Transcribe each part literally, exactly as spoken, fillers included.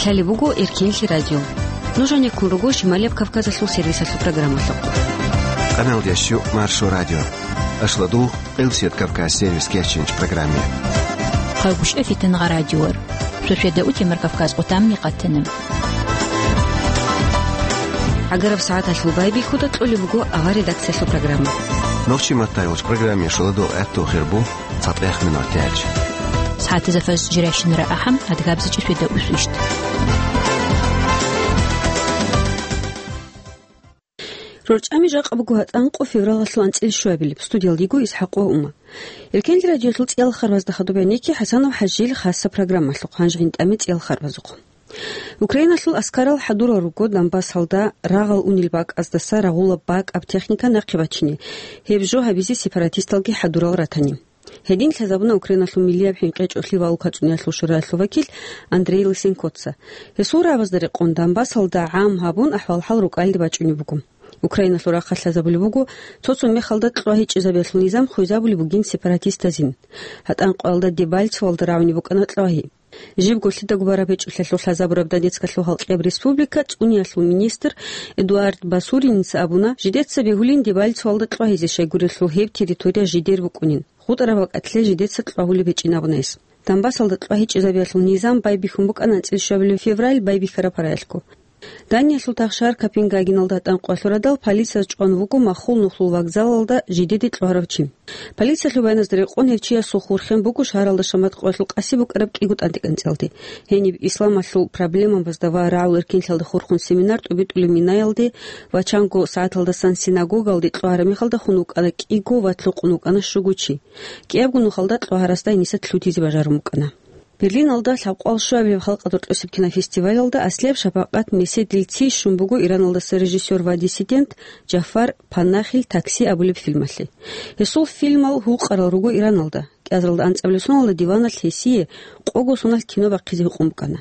Лъалеб буго Эркенлъи радио. Нуж гьанеккун руго Шималияб Кавказалъул сервисалъул программалъухъ. Къаналдящу Маршо радио. Ашладу Къилсият Кавказ сервис кечинч программе. Хъагушев Фитнагъа радиор. Суседа утемар Кавказ къутамни къатана. ГӀагараб сагӀаталъул байбихьуда кьолеб буго авар редакциялъул программа. Нохчи маттайолч программе шуладул гӀатту хирбу цатӀех минут тяч. СагӀатазафас жиращинара ахӀам адгабзичӀи суседа усвищт. РорчӀами жакъа буго гьатӀанкъо февралалъул анцӀил щуабилеб. Студиялдиго Исхьакъ ва Ума. Эркенлъи радиоялъул цӀиял харбазда хадуб гӀенекке ХӀасанов ХӀажил хасса программалъухъ, гьанже гьинтӀаме цӀиял харбазухъ. Украиналъул аскарал хӀадурал руго Донбассалда рагъал унел бакӀаздаса рагъулаб бакӀаб техника нахъе бачине, гьеб жо гьабизе сепаратисталги хӀадурал ратани. Гьедин лъазабуна Украиналъул миллияб хӀинкъи гьечӀолъи ва улкацӀуниялъул шураялъул вакил Андрей Лысенкоца. Гьесул рагӀабазда рекъон Донбассалда гӀам гьабун ахӀвал-хӀал рукӀалде бачӀунеб буго. Украиналъул рахъалъ лъазабулеб буго цо-цо мехалда кьвагьи чӀезабиялъул низам хвезабулеб бугин сепаратистазин. ГьатӀанкъоялда Дебальцевалда рагӀуни букӀана кьвагьи. Жибго лъидаго бараб гьечӀолъиялъул лъазабураб Донецкалъул халкъияб республика цӀуниялъул министр Эдуард Басуриница абуна, жидеца бегьулин Дебальцевалда кьвагьизе, щайгурелъул гьеб территория жидер букӀунин. ГъутӀараб бакӀалъе жидеца кьвагьулеб гьечӀин абуна гьес. Донбассалда кьвагьи чӀезабиялъул низам байбихьун букӀана анцӀил щуабилеб февраль байбихьараб гьараялъго. Даниялъул тахшар Копенгагеналда гьатӀанкъоялъул радал полицияз чӀван вуго маххул нухлул вокзалалда жидеде кьвагьарав чи. Полициялъул баяназда рекъон гьев чиясул хурхен буго шагьаралда шамат къоялъул къаси букӀараб кӀиго тӀантӀикӀанцӀалде, гьениб исламалъул проблемабазда ва рагӀул эркенлъиялда хурхун семинар тӀубитӀулеб минаялде ва чанго сагӀаталдасан синагогалде кьвагьараб мехалда хун вукӀана кӀиго ва лъукъун вукӀана щуго чи. КӀиябго нухалда кьвагьарасда гьениса лъутизе бажарун букӀана. Берлиналда лъабкъвал щуабилеб халкъалда рокьосеб кинофестивалалда аслияб шапакъат меседил ци щун буго Ираналдаса режиссер ва диссидент Джафар Панахил «Такси» абулеб фильмалъе. Гьесул фильмал гьукъарал руго Ираналда. КӀиазаралда анцӀабилеб соналда диваналъ гьесие къого соналъ кино бахъизе гьукъун букӀана.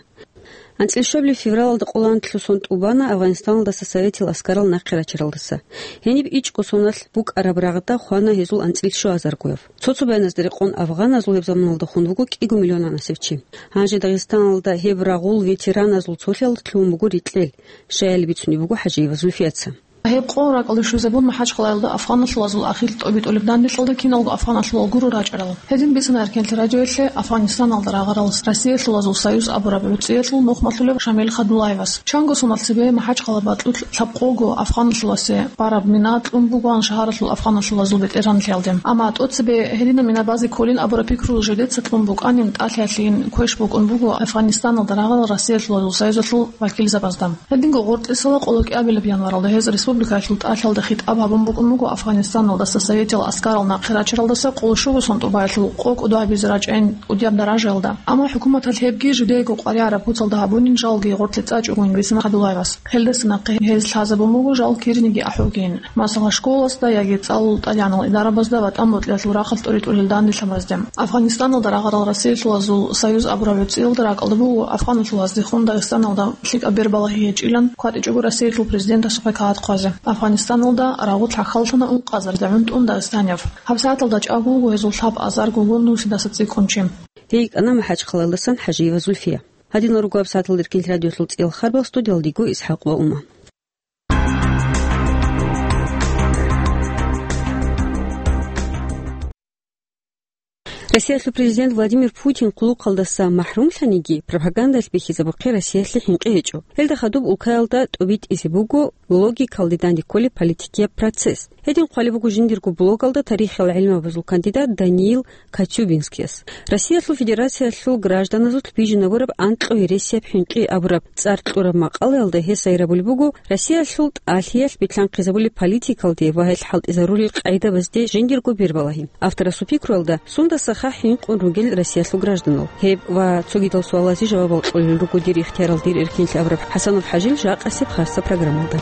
АнцӀил щуабилеб февралалда къоло анлъго сон тӀубана Афганистаналдаса советил аскарал нахъе рачаралдаса. Гьениб ичӀго соналъ букӀараб рагъда хвана гьезул анцӀил щуазаргояб. Цо-цо баяназда рекъон афганазул гьеб заманалда хун вуго кӀиго миллионанасеб чи. Гьанже Дагъистаналда гьеб рагъул ветераназул цолъиялда лъугьун буго рикьел, щаяли бицунеб буго ХӀажиева Зульфияца. Гьеб къо ракӀалде щвезабун МахӀачхъалаялда афганалъулазул ахир тӀобитӀулеб данделъалда киналго афганалъулал гуро рачӀарал. Гьедин бицана Эркенлъи радиоялъе Афганистаналда рагъарал Россиялъулазул союз абураб гӀуцӀиялъул нухмалъулев Шамил Хадулаевас. Чанго соналъ цебе МахӀачхъала бакьулъ лъабкъого афганалъуласе бараб мина кьун бугоан шагьаралъул афганалъулазул бетӀергьанлъиялде. Амма тӀоцебе гьединаб мина базе кколин абураб пикру жидеца кьун букӀанин, тӀалъиялъейин квеш букӀун буго Афганистаналда рагъарал Россиялъулазул союзалъул вакилзабазда. Гьединго гъоркьисала къоло кӀиабилеб январалда гьез республикаялъул тӀалъиялда хитӀаб гьабун букӀун буго Афганистаналдаса советил аскарал нахъе рачаралдаса къоло щуго сон тӀубаялъул къо кӀодо гьабизе рачӀайин кӀудияб даражаялда. Амма хӀукуматалъ гьебги жидеего къваригӀараб куцалда гьабунин жалги гъоркье цӀачӀогойин бицана Хадулаевас. Гьелдаса нахъе гьез лъазабун буго жал кириниги ахӀугейин, масала, школасда яги цӀалул тӀадегӀанал идарабазда ва тӀамбукьиялъул рахъалъ тӀоритӀулел данделъабазде. Афганистаналда рагъарал Россиялъулазул союз абураб гӀуцӀиялда ракӀалда буго афганалъулаздехун Дагъистаналда лъикӀаб бербалагьи гьечӀилан кватӀичӀого Россиялъул президентасухъе кагъат хъвазе. Афганистаналда рагъулъ рахъаллъана ункъазарда гӀунтӀун дагъистанияв. ГьабсагӀаталда чӀаго вуго гьезул лъаб азарго гун нусидаса цӀикӀкӀун чи. Гьей йикӀана МахӀачхъалаялдасан ХӀажиева Зульфия. Гьадинал руго гьабсагӀаталда Эркенлъи радиоялъул цӀиял харбал, студиялдиго Исхьакъ ва Ума. Россиялъул президент Владимир Путин хъулухъалдаса махӀрумлъаниги, пропагандалъ бихьизабухъе Россиялъе хӀинкъи гьечӀо. Гьелда хадуб улкаялда тӀубитӀизе буго логикалде данде кколеб политикияб процесс. Гьедин хъвалеб буго жиндирго блогалда тарихиял гӀилмабазул кандидат Даниил Коцюбинскияс. Россиялъул Федерациялъул гражданазулъ бижинабураб анкьго гьересияб хӀинкъи абураб цӀар кьураб макъалаялда гьес гьайрабулеб буго Россиялъул тӀалъиялъ билълъанхъизабулеб политикалде ва гьел хӀалтӀизарулел къагӀидабазде жиндирго бербалагьи. Авторасул пикруялда, сундаса ха хӀинкъун ругел Россиялъул гражданал? Гьеб ва цогидал суалазе жавабал кьолел руго дир ихтиярал дир Эркенлъи абураб ХӀасанов ХӀажил жакъасеб хасса программалда.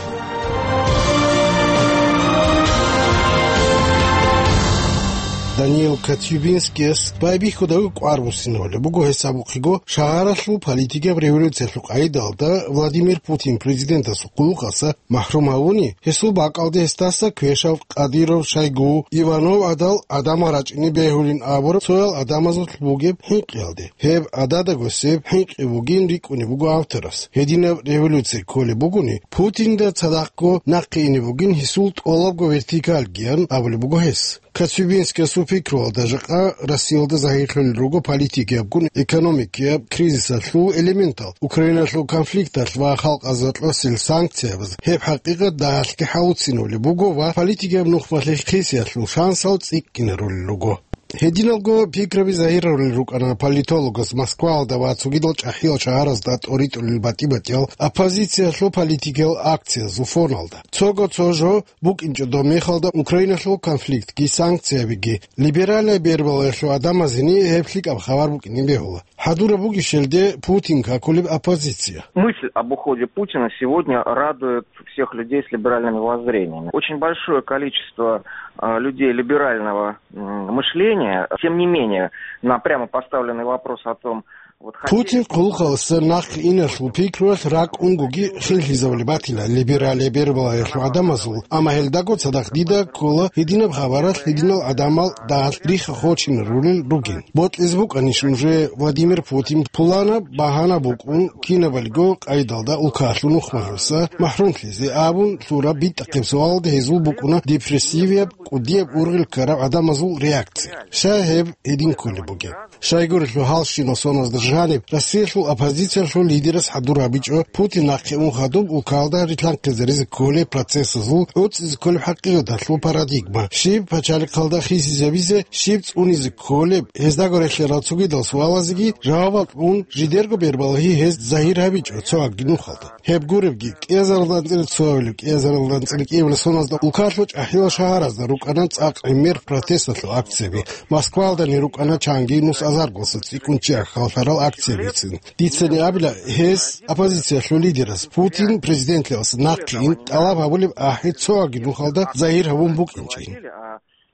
Даниил Коцюбинскияс байбихьудав кӀвар буссинавулеб буго гьес абухъего шагьаралъул политикаб революциялъул къайдалда Владимир Путин президентасул хъулухъаса махӀрум гьавуни, гьесул бакӀалде гьесдаса квешав Кадыров, Шойгу, Иванов гӀадал гӀадамал рачӀине бегьулин абураб цоял гӀадамазулъ бугеб хӀинкъиялде. Гьеб гӀададаго себ хӀинкъи бугин рикӀкӀунеб буго авторас. Гьединаб революция кколеб бугони, Путинда цадахъго нахъе ине бугин гьесул тӀолабго вертикалгиян абулеб буго гьес. Коцюбинскиясул пикруялда жакъа Россиялда загьирлъулел руго политикиябгун экономикияб кризисалъул элементал, Украиналъул конфликталъ ва халкъазда кьосел санкциябаз. Гьеб хӀакъикъат дагьалъги хӀалуцинавулеб буго ва политикияб нухмалъе хисиялъул шансал цӀикӀкӀинарулел руго. Гьединалго пикраби загьирарулел рукӀана политологас Москваялда ва цогидал чӀахӀиял шагьаразда тӀоритӀулел батӀи-батӀиял оппозициялъул политикиял акциязул фоналда. Цого цо жо букӀинчӀо доб мехалда Украиналъул конфликтги санкциябиги. Либералияб бербалаялъул гӀадамазени гьеб лъикӀаб хабар букӀине бегьула. ХӀадураб бугищелде Путин какулеб оппозиция. Мысль об уходе Путина сегодня радует всех людей с либеральными воззрениями. Очень большое количество, а, людей либерального, м, мышления. Тем не менее, на прямо поставленный вопрос о том, вот, хотели Путин хъулухъалъа нахъе иналъул пикруялъ ракӀ унгоги хинлъизабулеб батила либералияб бербалаялъул гӀадамазул, амма гьелдаго цадахъ дида ккола гьединаб хабаралъ гьединал гӀадамал дагьалъ рихха хочинарулел ругин. Бокьизе букӀанищ нужее Владимир Путин пуланаб багьана букӀун кинабалиго къайдалда улкалъул нухмалъуса махӀрумлъизе абун лъураб битӀахъеб суалалда гьезул букӀуна депрессивияб, кӀудияб ургъел ккараб гӀадамазул реакция. Щай гьеб гьедин кколеб бугеб? Щайгурелъул гьалщинал соналда жаниб Россиялъул оппозициялъул лидерас хӀадур гьабичӀо Путин нахъе ун хадуб улкалда рилъанхъизаризе кколеб процессазул гӀуцӀизе кколеб хӀакъикъаталъул парадигма, щиб пачалихъалда хисизабизе, щиб цӀунизе кколеб, гьездаго релълъарал цогидал суалазеги жавабал кьун, жидерго бербалагьи гьез загьир гьабичӀо цоги нухалда. Гьеб гуребги, кӀиазаралда анцӀила цоявилев, кӀиазаралда анцӀила кӀиявилев соналда улкалъул чӀахӀиял шагьаразда рукӀана цӀакъ гӀемер протесталъул акцияби. Москваялдани рукӀана чанги нус азаргоса цӀикӀкӀун чи ахьаллъарал акциябицин. Дицани абила, гьес, оппозициялъул лидерас, Путин президентлъиялъ нахъе ин тӀалаб гьабулеб ахӀи цоги нухалда загьир гьабун букӀинчӀин.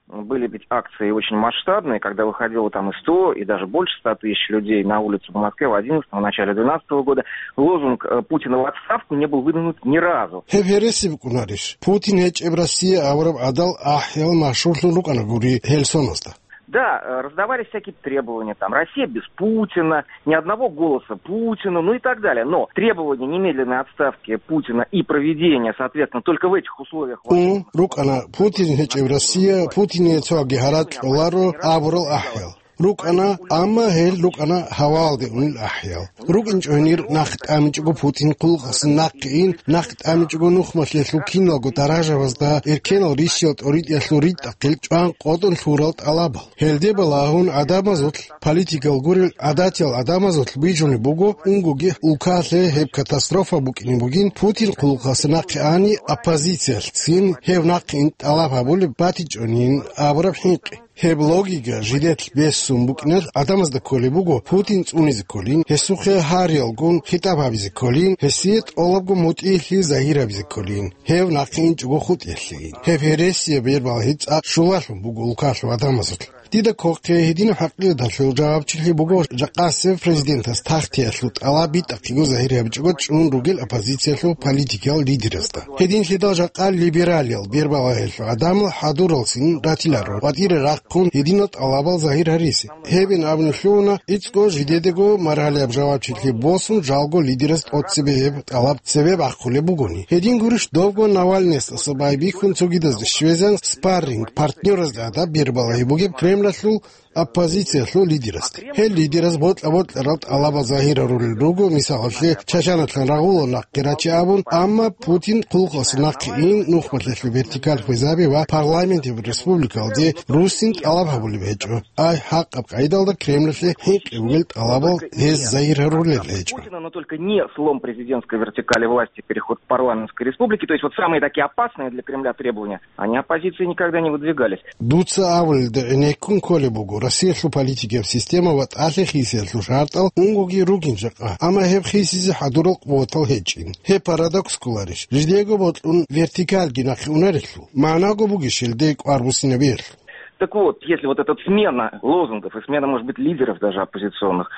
Были ведь акции очень масштабные, когда выходило там и сто, и даже больше ста тысяч людей на улицу в Москве в одиннадцатом, в начале двенадцатого года. Лозунг, э, «Путина в отставку» не был выдвинут ни разу. Гьеб гьереси букӀунарищ? Путин гьечӀеб Россия авараб гӀадал ахӀиял машгьурлъун рукӀана гури гьел соналда. Да, э, раздавались всякие требования, там, «Россия без Путина», «Ни одного голоса Путину», ну и так далее. Но требование немедленной отставки Путина и проведения, соответственно, только в этих условиях Ун рукӀана Путин гьечӀеб Россия, Путине цоги гьаракь кьоларо абурал ахӀиял. РукӀана, амма гьел рукӀана гьавалде унел ахӀиял. РукӀинчӀо гьенир нахъ тӀамичӀого Путин хъулухъасе нахъе ин, нахъ тӀамичӀого нухмалъе лъуккиналго даражабазда эркенал рищал тӀоритӀиялъул ритӀахъил чӀван къотӀун лъурал тӀалабал. Гьелде балагьун гӀадамазулъ, политикал гурел гӀадатиял гӀадамазулъ бижунеб буго, унгоги улкалъе гьеб катастрофа букӀине бугин, Путин хъулухъасе нахъе ани, оппозициялъцин гьев нахъе ин тӀалаб гьабулеб батичӀонин абураб хӀинкъи. Гьеб логика жидетлъ бессун букӀиналъ гӀадамазда кколеб буго Путин цӀунизе кколин, гьесухъе гьариялгун хитӀаб гьабизе кколин, гьесие тӀолабго мутӀигьлъи загьир гьабизе кколин, гьев нахъе инчӀого хутӀиялъейин. Гьеб гьересияб бербалагьи цӀакъ щулалъун буго улкалъул гӀадамазулъ. Дида кколеб гьединаб хӀакъикъаталъул жавабчилъи буго жакъасеб президентас тахтиялъул тӀалаб битӀахъего загьир гьабичӀого чӀун ругел оппозициялъул политикиял лидерасда. Гьединлъидал жакъа либералиял бербалагьиялъул гӀадамал хӀадуралцин ратиларо, къватӀире рахъун гьединал тӀалабал загьир гьаризе. Гьебин абуни лъугьуна, ицӀго жидедаго маргьалияб жавабчилъи босун жалго лидерас тӀоцебе гьеб тӀалаб цебе бахъулеб бугони. Гьедин гурищ добго Навальныясдаса байбихьун цогидазда щвезан спарринг-партнёразда гӀадаб бербалагьи бугеб Кремлалъул оппозициялъул лидерасде. Гьел лидерас бокьа-бокьарал тӀалабал загьирарулел руго, мисалалъе, Чачаналъан рагъула нахъе раче абун, амма Путин хъулухъасе нахъе ин, нухмалъелъул вертикаль хвезаби ва парламентияб республикалде руссин тӀалаб гьабулеб гьечӀо. Ай, хӀакъаб къайдалда Кремлалъе хӀинкъи бугел тӀалабал гьез загьир гьарулел гьечӀо. Путина, но только не слом президентской вертикали власти, переход к парламентской республике. То есть вот самые такие опасные для Кремля требования, они оппозицией никогда не выдвигались. Дуца абулелда гӀенеккун кколеб буго Россиялъул политикияб система ва тӀалъи хисиялъул шартӀал унгоги ругин жакъа, амма гьеб хисизе хӀадурал къуватал гьечӀин. Гьеб парадокс кколарищ, жидего бокьун вертикальги нахъе унарелъул? МагӀнаго бугищ гьелде кӀвар буссинабиялъул? Так вот, если вот эта смена лозунгов и смена, может быть, лидеров даже оппозиционных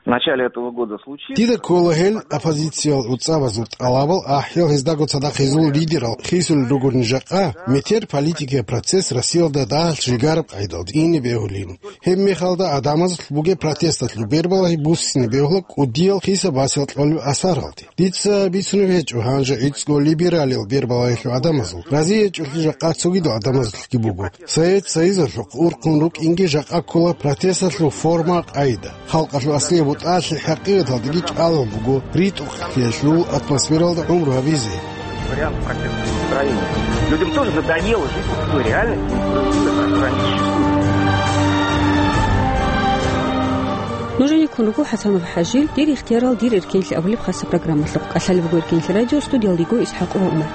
в начале этого года случится... Дида ккола гьел оппозициял гӀуцӀабазул тӀалабал ахӀиял гьездаго цадахъ гьезул лидерал хисулел ругони жакъа, метер политикиял процесс Россиялда дагьалъ жигараб къайдалда ине бегьулин. Гьеб мехалда гӀадамазулъ бугеб протесталъул бербалагьи буссине бегьула кӀудиял хиса-басиял кьолеб асаралде. Дица бицунеб гьечӀо гьанже гӀицӀго либералиял бербалагьилъул гӀадамазул, разие гьечӀолъи жакъа цогидал гӀадамазулъги буго. Совет Союзалъухъ урхъун рукӀинги жакъа ккола протесталъул форма-къайда. Халкъалъул аслияб бутӀалъи хӀакъикъаталдаги чӀалал буго ритӀухълъиялъул атмосфералда гӀумру гьабизе. Вариант протестного настроения. Людям тоже надоело жить в той реальности, которая существует. Нужениккун руго ХӀасанов ХӀажил, «Дир ихтиярал, дир эркенлъи» абулеб хасаб программалъухъ. КӀалъалеб буго эркенлъи радио, студиялда йиго ИсхӀакъ ва ГӀумар.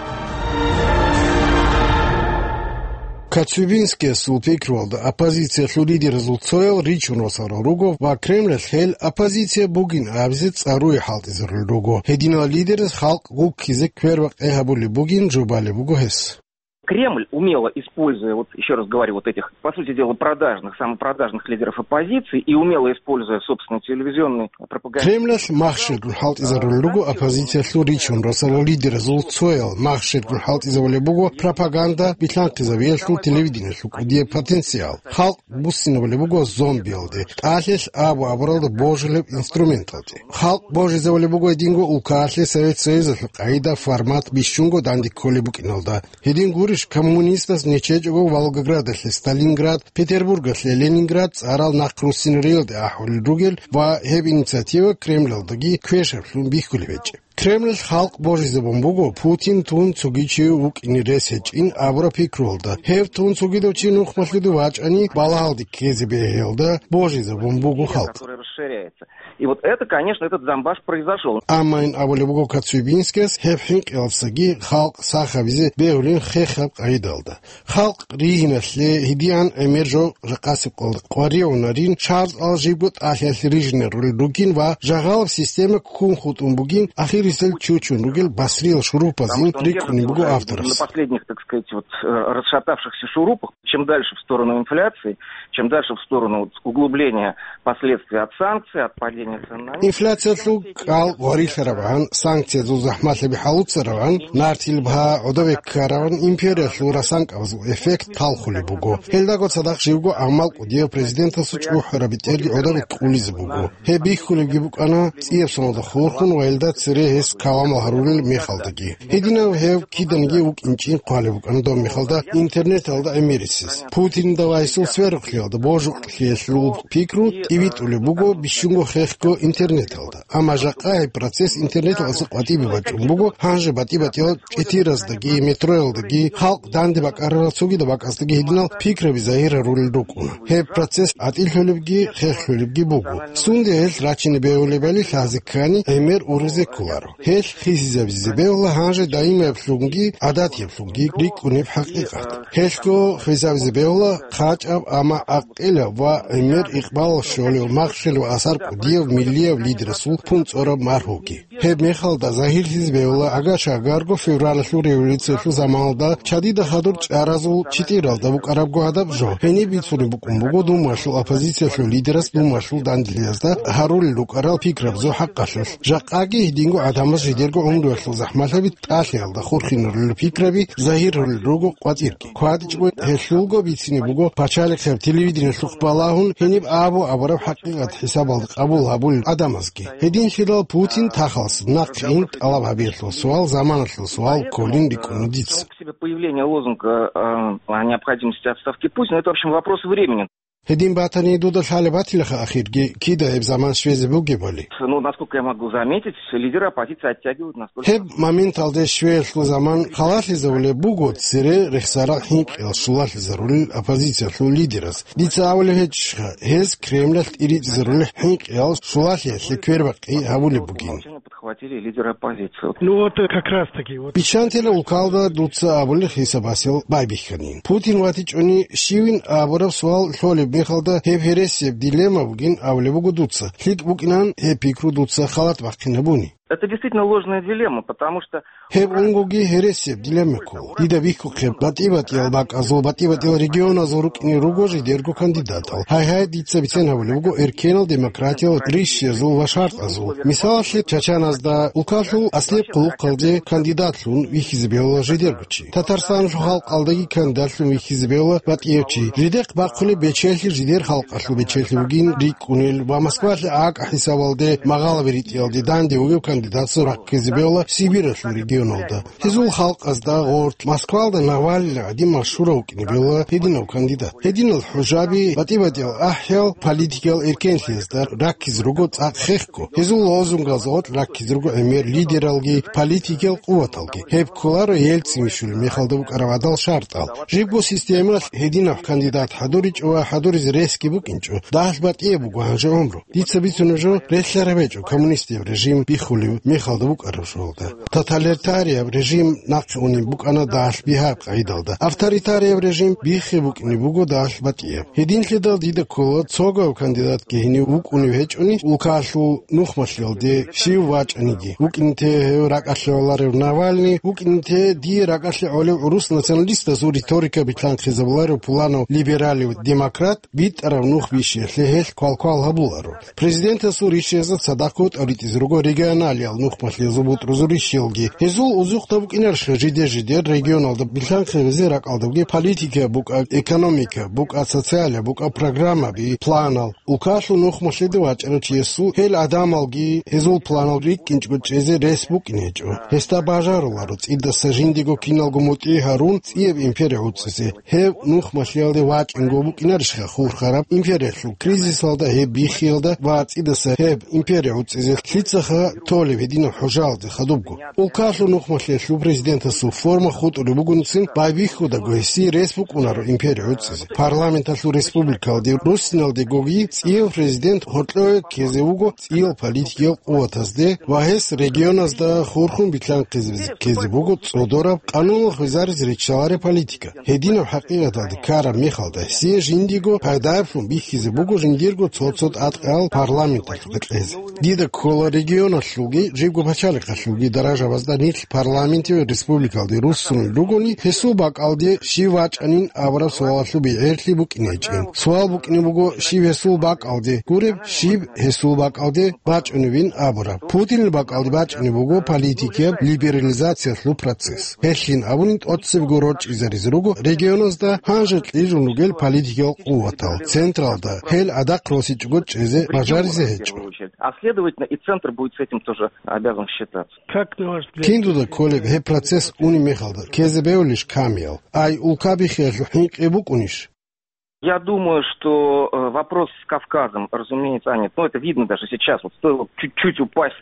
Коцюбинскиясул пикруялда, оппозициялъул лидеразул цоял ричун росарал руго ва Кремлалъ гьел оппозиция бугин абизе цӀаруе хӀалтӀизарулел руго. Гьединал лидераз халкъ гуккизе квербакъи гьабулеб бугин жубалеб буго гьес. Кремль, умело используя, вот еще раз говорю, вот этих, по сути дела, продажных, самопродажных лидеров оппозиции и умело используя собственный телевизионный пропагандист... Кремлалъ махщелгун хӀалтӀизарулел руго оппозициялъул ричун росарал лидеразул цоял, махщелгун хӀалтӀизабулеб буго пропаганда билълъанхъизабиялъул телевидениялъул кӀудияб потенциал. Халкъ буссинабулеб буго зомбиялде, тӀалъилъ абу-абуралда божулеб инструменталде. Халкъ божизабулеб буго гьединго улкаялъе Совет Союзалъул къайда, формат бищунго данде кколеб букӀиналда. Гьедин гурищ, коммунистаз нечечӀого Волгоградалъе Сталинград, Петербургалъе Ленинград цӀарал нахъ руссинариялде ахӀулел ругел ва гьеб инициатива Кремлалдаги квешаблъун бихьулеб гьечӀеб. Кремлалъ халкъ божизабун буго Путин тун цоги чи вукӀине рес гьечӀин абураб пикруялда. Гьев тун цогидав чи нухмалъуде вачӀани, балагьалде ккезе бегьиялда божизабун буго халкъ. И вот это, конечно, этот замбаш произошёл. Амма ин абулеб буго Коцюбинскияс, гьеб хӀинкъиялдасаги халкъ сах гьабизе бегьулин хехаб къайдалда. Халкъ ригьиналъе гьедигӀан гӀемер жо жакъасеб къо-, къваригӀунарин, шартӀал жибго тӀалъиялъе рижинарулел ругин ва жагьалаб система ккун хутӀун бугин, ахирисел чучун ругел басриял шурупазин рикӀкӀунеб буго авторас. На последних, так сказать, вот, э, расшатавшихся шурупах, чем дальше в сторону инфляции, чем дальше в сторону, вот, углубления последствий от санкций, от падения цен на нефть. Инфляциялъул кӀал гъварилъаравгӀан, санкциязул захӀмалъаби хӀалуцаравгӀан, нартил бгьа гӀодове ккаравгӀан, империялъул расанкӀабазул эффект талхулеб буго. Гьелдаго цадахъ живго гӀамал кӀудияв президентасул чӀухӀараб бетӀерги гӀодове кколизе буго. Гьеб бихьулебги букӀана цӀияб соналда хурхун ва гьелда цере гьес каламал гьарулел мехалдаги. Гьединав гьев киданиги вукӀинчӀин хъвалеб букӀана доб мехалда интернеталда гӀемерисез. Путинда ва гьесул сверухълъиялда божукълъиялъул пикру тӀибитӀулеб буго бищунго хехго интернеталда. Амма жакъа гьеб процесс интернеталдаса къватӀибе бачӀун буго, гьанже батӀи-батӀиял чӀетираздаги, метроялдаги, халкъ данде бакӀарарал цогидаб бакӀаздаги гьединал пикраби загьир гьарулел рукӀуна. Гьеб процесс гӀатӀилъулебги, хехлъулебги буго. Сунде гьелъ рачине бегьулебали лъазе ккани, гӀемер уризе кколаро. Гьелъ хисизабизе бегьула гьанже даимаблъунги гӀадатиблъунги рикӀкӀунеб хӀакъикъат. Гьелъго хисабизе бегьула хъачӀаб, амма гӀакъилаб ва гӀемер икъбалалъ щолев махщел ва асар кӀудияв миллияв лидерасул пунцӀораб маргьуги. Гьеб мехалда загьирлъизе бегьула, агар-шагарго февралалъул революциялъул заманалда чадида хадур чӀаразул читӀиралда букӀарабго гьадаб жо. Гьениб бицунеб букӀун буго Думаялъул оппозициялъул лидерас Думаялъул данделъиязда гьарулел рукӀарал пикрабазул хӀакъалъулъ. Жакъаги гьединго гӀадамаз жидерго гӀумруялъул захӀмалъаби тӀалъиялда хурхинарулел пикраби загьирулел руго къватӀирги. КватӀичӀого гьелъулго бицине буго пачалихъеб телевидениялъухъ балагьун гьениб абу-абураб хӀакъикъат хӀисабалда къабул гьабулел гӀадамазги. Гьединлъидал Путин тахалас нахъе ин тӀалаб гьабиялъул суал, заманалъул суал кколин рикӀкӀуна дица. Само по себе появление лозунга, э, о необходимости отставки Путина, это, в общем, вопрос времени. Гьедин батани, дуда лъалеб батилаха ахирги, кида гьеб заман щвезе бугебали. Ну, насколько я могу заметить, лидеры оппозиции оттягивают настолько... Гьеб моменталде щвеялъул заман халалъизавулеб буго цере рехсарал хӀинкъиял щулалъизарулел оппозициялъул лидераз. Дица абулеб гьечӀищха, гьез Кремлалъ тӀиритӀизарулел хӀинкъиял щулалъиялъе квербакъи гьабулеб бугин. Подхватили лидеры оппозиции. Ну вот, э, как раз таки, вот. Биччантила улкалда дуца абулеб хӀисабасел байбихьанин. Путин ватичӀони щивин абураб суал лъолеб мехалда, гьеб гьересияб дилемма бугин абулеб буго дуца. ЛъикӀ букӀинан гьеб пикру дуца халат бахъинабуни. Это действительно ложная дилемма, потому что Гьеб унгоги гьересияб дилемма ккола. Дида бихьухъеб, батӀи-батӀиял бакӀазул, батӀи-батӀиял регионазул рукӀине руго жидерго кандидатал. Гьай-гьай, дица бицен гьабулеб буго эркенал демократиял ришшезул ва шартӀазул. Мисалалъе, Чачаназда улкалъул аслияб хъулухъалде кандидатлъун вихьизе бегьула жидерго чи. Татарстаналъул халкъалдаги кандидатлъун вихьизе бегьула батӀияб чи. Жидехъ бахъулеб бечелъи жидер халкъалъул бечелъи бугин рикӀкӀунел ва Москвалъе акӀа хӀисабалде магъалаби ритӀиялде данде вугев кандидатсул раккизе бегьула Сибиралъул регионалда. Гьезул халкъазда гъоркь Москвалда Навальный гӀадин машгьурав вукӀине бегьула гьединав кандидат. Гьединал хӀужаби, батӀи-батӀиял ахӀиял политикиял эркенлъиязда раккизе руго цӀакъ хехго. Гьезул лозунгаз гъоркь раккизе руго гӀемер лидералги, политикиял къуваталги. Гьеб кколаро Ельцин вищулеб мехалда букӀараб гӀадал шартӀал. Жибго системалъ гьединаб кандидат хӀадуричӀо ва хӀадуризе ресги букӀинчӀо. Дагьалъ батӀияб буго гьанже гӀумру. Дица бицунеб жо, релълъараб гьечӀо коммунистияб режим биххулев мехалда букӀараб жоялда. Тоталитарияб режим нахъе унеб букӀана дагьалъ бигьаб къагӀидалда. Авторитарияб режим биххи букӀине буго дагьалъ батӀияб. Гьединлъидал дида ккола, цогав кандидатги гьенив вукӀунев гьечӀони, улкалъул нухмалъиялде щив вачӀаниги, вукӀинте гьев ракӀалъе гӀоларев Навальный, вукӀинте дие ракӀалъе гӀолев гӀурус националистазул риторика битлъанхъизабуларев пуланав либералив демократ, битӀараб нух бищиялъе гьелъ квалквал гьабуларо. Президентасул ришшезда цадахъ тӀоритӀизе руго регионалиял нухмалъиязул бутӀрузул ришшелги. Гьезул узухъда букӀинарищха жидер-жидер регионалда билълъанхъизабизе ракӀалдабги политика букӀа, экономика букӀа, социалия букӀа, программаби, планал? Улкалъул нухмалъиде вачӀарав чиясул гьел гӀадамалги гьезул планал рикӀкӀинчӀго чӀезе рес букӀине гьечӀо. Гьесда бажаруларо цӀидаса жиндиего киналго мутӀигӀ гьарун цӀияб империя гӀуцӀизе. Гьев нухмалъиялде вачӀинго букӀинарищха хурхараб империялъул кризисалда гьеб биххиялда ва цӀидаса гьеб империя гӀуцӀизе лъицаха толеб гьединаб хӀужаялде хадубго? Улкалъул нухмалъиялъул президентасул форма хутӀулеб бугоницин байбихьудаго гьесие рес букӀунаро империя гӀуцӀизе. Парламенталъул республикалде руссиналдегоги цӀияв президент гьоркьове ккезе вуго цӀиял политикиял къуватазде ва гьес регионазда хурхун билълъанхъизабизе ккезе буго цӀодораб къануналъ хвезаризе риччалареб политика. Гьединаб хӀакъикъаталде ккараб мехалда гьесие жиндиего пайдаблъун бихьизе буго жиндирго цо-цо тӀадкъал парламенталъ кьезе. Дида ккола регионалъулги жибго пачалихъалъулги даражабазда нилъ парламентив республикалде руссунел ругони, гьесул бакӀалде щив вачӀанин абураб суалалъул бегӀерлъи букӀине гьечӀин. Суал букӀине буго, щив гьесул бакӀалде гуреб, щиб гьесул бакӀалде бачӀунебин абураб. Путинил бакӀалде бачӀунеб буго политикияб либерализациялъул процесс. Гьелъин абунин тӀоцебго рорчӀизаризе руго регионазда гьанже кьижун ругел политикиял къуватал, централда гьел гӀадахъ росичӀого чӀезе бажаризе гьечӀо. А следовательно, и центр будет с этим тоже обязан считаться. Как на ваш взгляд? Кин дуда кколеб гьеб процесс унеб мехалда ккезе бевулищ камиял? Ай, улка биххиялъул хӀинкъи букӀунищ? Я думаю, что э, вопрос с Кавказом, разумеется, а нет, ну это видно даже сейчас, вот стоило чуть-чуть упасть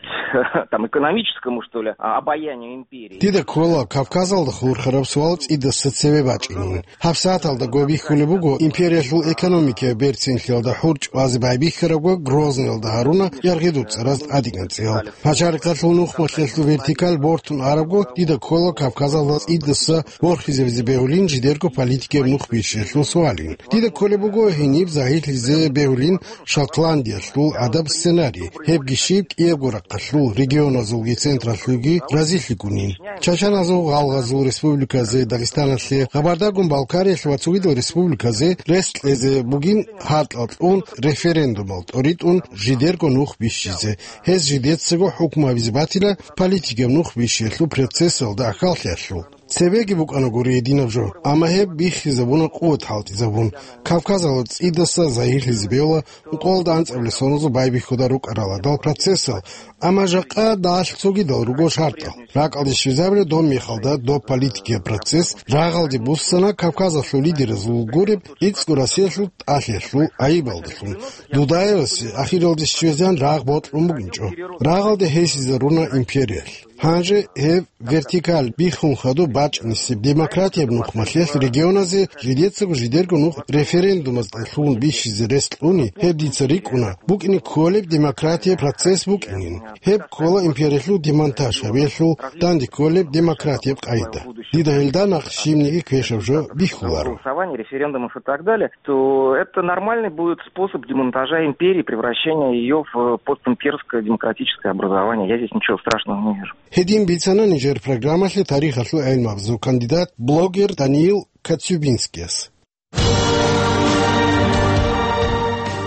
там экономическому, что ли, а, обаянию империи. Дида ккола Кавказалда хурхараб суал цӀидаса цеве бачӀинин. ГьабсагӀаталда гобихьулеб буго империялъул экономикияб берцинлъиялда хӀурчӀ базе байбихьарабго Грозныйалда гьаруна яргъидул цӀараз тӀадегӀан цӀиял. Пачалихъалъул нухмалъиялъул вертикаль бортун арабго, дида ккола Кавказалда цӀидаса борхизабизе бегьулин жидерго политикияб нух бищиялъул суалин. Дида кколеб буго гьениб загьирлъизе бегьулин Шотландиялъул гӀадаб сценарий, гьебги щиб кӀиябго рахъалъул регионазулги централъулги разилъигунин. Чачаназул, гъалгъазул республиказе, Дагъистаналъе, Къабардагун-Балкариялъе ва цогидал республиказе рес кьезе бугин гьаркьал кьун, референдумал тӀоритӀун жидерго нух бищизе. Гьез жидецаго хӀукму гьабизе батила политикаб нух бищиялъул процессалда ахьаллъиялъул. Цебеги букӀана гури гьединаб жо, амма гьеб биххизабуна къуват хӀалтӀизабун. Кавказалда цӀидаса загьирлъизе бегьула ункъоялда анцӀабилеб соназул байбихьуда рукӀарал гьадал процессал, амма жакъа дагьалъ цогидал руго шартӀал. РакӀалде щвезабулеб доб мехалда доб политикияб процесс рагъалде буссана Кавказалъул лидеразул гуреб ГӀицӀго Россиялъул тӀалъиялъул гӀайибалдалъун. Дудаевасе ахиралде щвезегӀан рагъ бокьун бугинчӀо. Рагъалде гьесизаруна империялъ. Гьанже гьеб вертикаль биххун хадуб бачӀнисеб демократияб нухмалъелъ регионазе жидецаго жидерго нух референдумазда лъугьун бихьизе рес кьуни, гьеб дица рикӀкӀуна, букӀине кколеб демократияб процесс букӀинин. Гьеб ккола империялъул демонтаж гьабиялъул данде кколеб демократияб къайда. Дида гьелда нахъ щибниги квешаб жо бихьуларо. Голосование, референдумов и так далее, то это нормальный будет способ демонтажа империи, превращения её в постимперское демократическое образование. Я здесь ничего страшного не вижу. Гьедин бицана нижер программалъе тарихалъул гӀелмабазул кандидат, блогер Даниил Коцюбинскияс.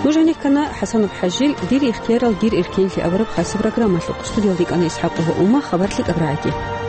Нуж гьанир ккана ХӀасанов ХӀажил «Дир ихтиярал, дир эркенлъи» абураб хасаб программалъухъ. Студиялда йикӀана ИсхӀакъ ва Ума. Хабар лъикӀаб рагӀиги.